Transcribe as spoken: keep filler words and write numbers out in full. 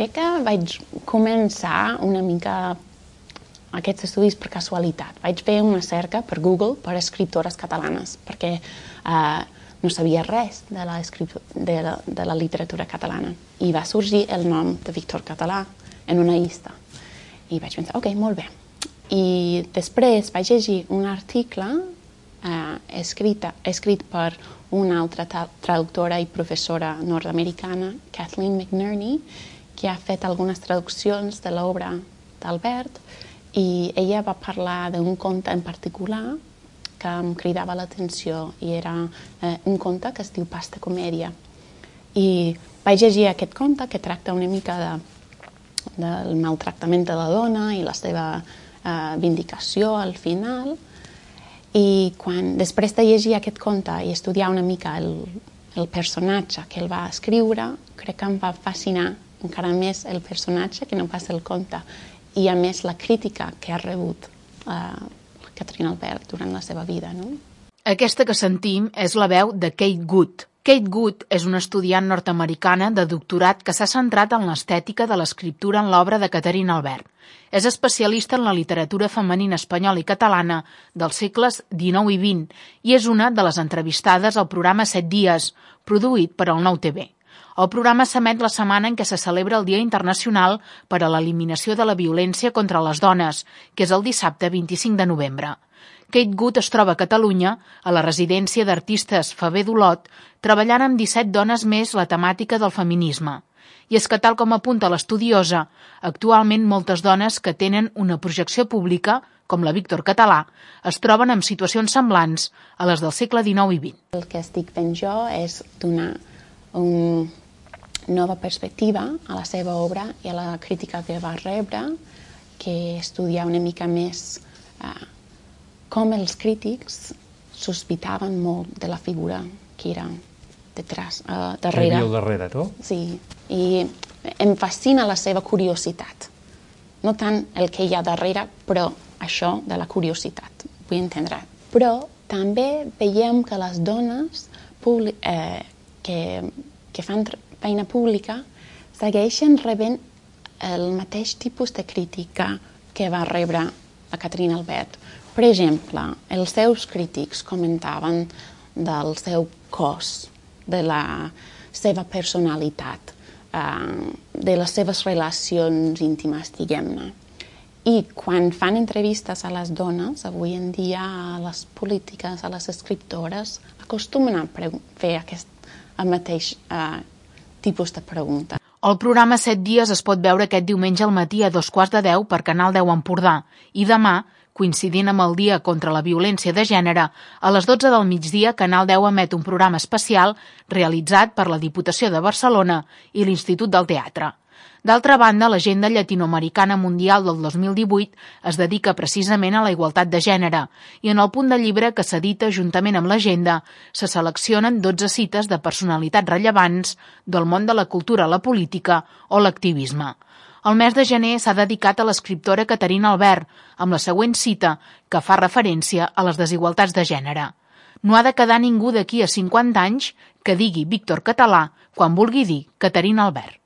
crec que vaig començar una mica aquests estudis per casualitat. Vaig fer una cerca per Google per escriptores catalanes, perquè eh, no sabia res de la, de, la, de la literatura catalana. I va sorgir el nom de Víctor Català en una llista. I vaig pensar, ok, molt bé. I després vaig llegir un article eh, escrita, escrit per una altra traductora i professora nord-americana, Kathleen McNerney, que ha fet algunes traduccions de l'obra d'Albert, i ella va parlar d'un conte en particular que em cridava l'atenció, i era eh, un conte que es diu Pasta Comèdia. I vaig llegir aquest conte que tracta una mica de, del maltractament de la dona i la seva eh, vindicació al final. I quan, després de llegir aquest conte i estudiar una mica el, el personatge que el va escriure, crec que em va fascinar encara més el personatge que no pas el conte, i a més la crítica que ha rebut eh, Catherine Albert durant la seva vida. No? Aquesta que sentim és la veu de Kate Good. Kate Good és una estudiant nord-americana de doctorat que s'ha centrat en l'estètica de l'escriptura en l'obra de Catherine Albert. És especialista en la literatura femenina espanyola i catalana dels segles dinou i vint i és una de les entrevistades al programa Set dies, produït per el Nou T V. El programa s'emet la setmana en què se celebra el Dia Internacional per a l'Eliminació de la Violència contra les Dones, que és el dissabte vint-i-cinc de novembre. Kate Good es troba a Catalunya, a la residència d'artistes Faber d'Olot, treballant amb disset dones més la temàtica del feminisme. I és que, tal com apunta l'estudiosa, actualment moltes dones que tenen una projecció pública, com la Víctor Català, es troben en situacions semblants a les del segle dinou i vint. El que estic fent jo és donar una nova perspectiva a la seva obra i a la crítica que va rebre, que estudiar una mica més eh, com els crítics sospitaven molt de la figura que era detrás, uh, darrere. Que hi havia al darrere, no? Sí, i em fascina la seva curiositat. No tant el que hi ha darrere, però això de la curiositat, vull entendre. Però també veiem que les dones eh, que, que fan feina pública segueixen rebent el mateix tipus de crítica que va rebre la Catherine Albert. Per exemple, els seus crítics comentaven del seu cos, de la seva personalitat, eh, de les seves relacions íntimes, diguem-ne. I quan fan entrevistes a les dones, avui en dia a les polítiques, a les escriptores, acostumen a fer aquest el mateix eh, tipus de pregunta. El programa Set dies es pot veure aquest diumenge al matí a dos quarts de deu per Canal deu Empordà i demà, coincidint amb el Dia contra la Violència de Gènere, a les dotze del migdia Canal deu emet un programa especial realitzat per la Diputació de Barcelona i l'Institut del Teatre. D'altra banda, l'Agenda Llatinoamericana Mundial del dos mil divuit es dedica precisament a la igualtat de gènere i en el punt de llibre que s'edita juntament amb l'agenda se seleccionen dotze cites de personalitats rellevants del món de la cultura, la política o l'activisme. El mes de gener s'ha dedicat a l'escriptora Catherine Albert, amb la següent cita que fa referència a les desigualtats de gènere. No ha de quedar ningú d'aquí a cinquanta anys que digui Víctor Català quan vulgui dir Catherine Albert.